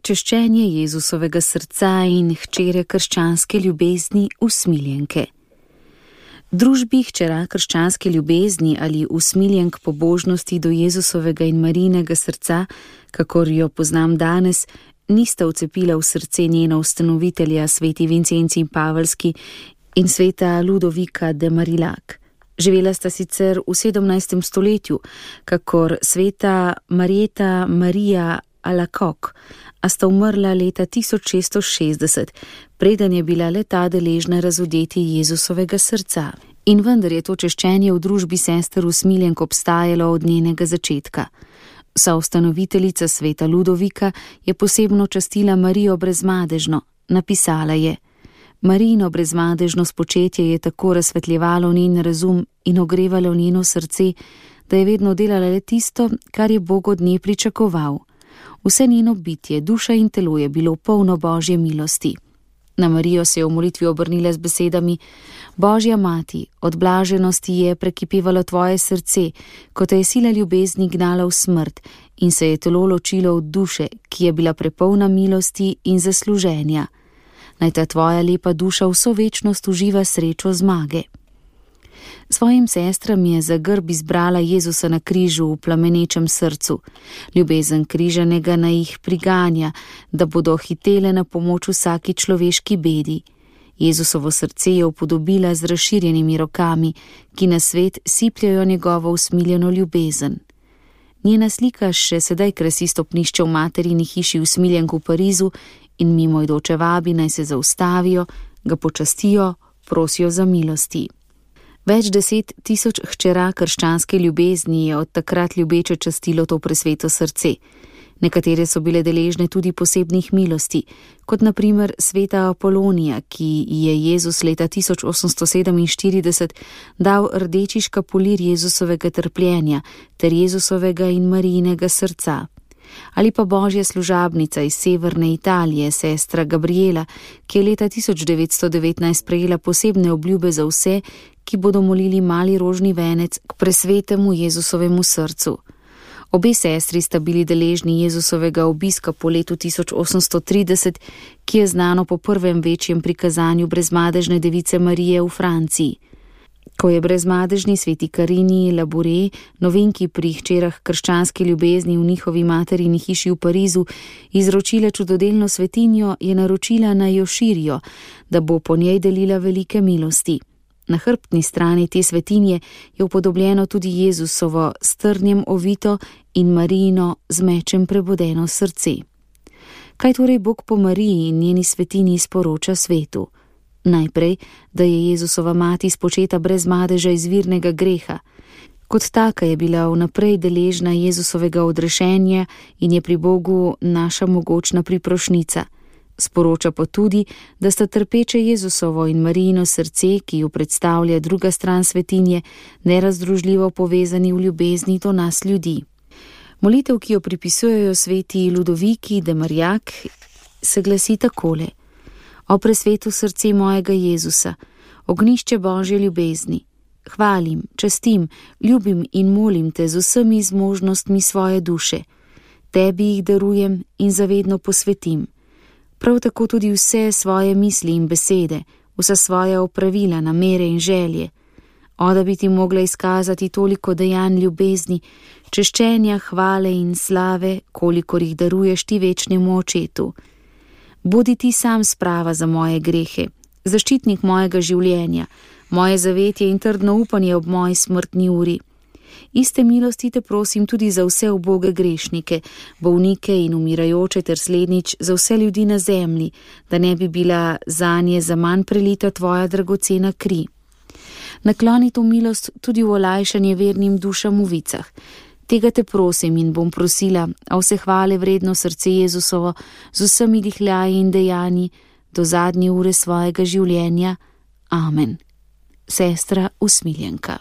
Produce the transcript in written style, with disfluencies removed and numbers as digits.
Češčenje Jezusovega srca in hčere krščanske ljubezni usmiljenke. Družbi hčera krščanske ljubezni ali usmiljenk pobožnosti do Jezusovega in Marijinega srca, kakor jo poznam danes, nista vcepila v srce njena ustanovitelja sveti Vincencij Pavelski in sveta Ludovika de Marillac. Živela sta sicer v 17. stoletju, kakor sveta Marieta Marija Alacoque, a sta umrla leta 1660, preden je bila le ta deležna razodeti Jezusovega srca. In vendar je to češčenje v družbi sester usmiljenk obstajalo od njenega začetka. Soustanoviteljica sveta Ludovika je posebno častila Marijo brezmadežno. Napisala je: Marijino brezmadežno spočetje je tako razsvetljevalo njen razum in ogrevalo njeno srce, da je vedno delala le tisto, kar je Bog od nje pričakoval. Vse njeno bitje, duša in telo je bilo polno Božje milosti. Na Marijo se je v molitvi obrnila z besedami: Božja mati, od blaženosti je prekipevalo tvoje srce, ko te je sila ljubezni gnala v smrt in se je telo ločilo od duše, ki je bila prepolna milosti in zasluženja. Naj ta tvoja lepa duša vso večnost uživa srečo zmage. Svojim sestram je za grb izbrala Jezusa na križu v plamenečem srcu. Ljubezen križanega naj jih priganja, da bodo hitele na pomoč vsaki človeški bedi. Jezusovo srce je upodobila z razširjenimi rokami, ki na svet sipljajo njegovo usmiljeno ljubezen. Njena slika še sedaj krasi stopnišče v materini hiši usmiljenk v Parizu in mimoidoče vabi naj se zaustavijo, ga počastijo, prosijo za milosti. Več 10 000 hčera krščanske ljubezni je od takrat ljubeče častilo to presveto srce. Nekatere so bile deležne tudi posebnih milosti, kot na primer sveta Apolonija, ki je Jezus leta 1847 dal rdeči škapulir Jezusovega trpljenja ter Jezusovega in Marijinega srca. Ali pa božja služabnica iz severne Italije, sestra Gabriela, ki je leta 1919 prejela posebne obljube za vse, ki bodo molili mali rožni venec k presvetemu Jezusovemu srcu. Obe sestri sta bili deležni Jezusovega obiska po letu 1830, ki je znano po prvem večjem prikazanju brezmadežne device Marije v Franciji. Ko je brezmadežni sveti Karini Labouré, novinki pri hčerah krščanske ljubezni v njihovi materini hiši v Parizu, izročila čudodelno svetinjo, je naročila naj jo širijo, da bo po njej delila velike milosti. Na hrbtni strani te svetinje je upodobljeno tudi Jezusovo s trnjem ovito in Marijino z mečem prebodeno srce. Kaj torej Bog po Mariji in njeni svetinji sporoča svetu? Najprej, da je Jezusova mati spočeta brez madeža izvirnega greha. Kot taka je bila vnaprej deležna Jezusovega odrešenja in je pri Bogu naša mogočna priprošnica. Sporoča pa tudi, da sta trpeče Jezusovo in Marijino srce, ki jo predstavlja druga stran svetinje, nerazdružljivo povezani v ljubezni do nas ljudi. Molitev, ki jo pripisujejo sveti Ludoviki de Marillac, se glasi takole: O presveto srce mojega Jezusa, ognjišče Božje ljubezni, hvalim, častim, ljubim in molim te z vsemi zmožnostmi svoje duše. Tebi jih darujem in zavedno posvetim. Prav tako tudi vse svoje misli in besede, vsa svoja opravila, namere in želje. O, da bi ti mogla izkazati toliko dejanj ljubezni, češčenja, hvale in slave, kolikor jih daruješ ti večnemu Očetu. Bodi ti sam sprava za moje grehe, zaščitnik mojega življenja, moje zavetje in trdno upanje ob moji smrtni uri. Iste milosti te prosim tudi za vse uboge grešnike, bolnike in umirajoče ter slednjič za vse ljudi na zemlji, da ne bi bila zanje zaman prelita tvoja dragocena kri. Nakloni to milost tudi v olajšanje vernim dušam v vicah. Tega te prosim in bom prosila, a vse hvale vredno srce Jezusovo z vsemi dihljaji in dejanji do zadnje ure svojega življenja. Amen. Sestra usmiljenka.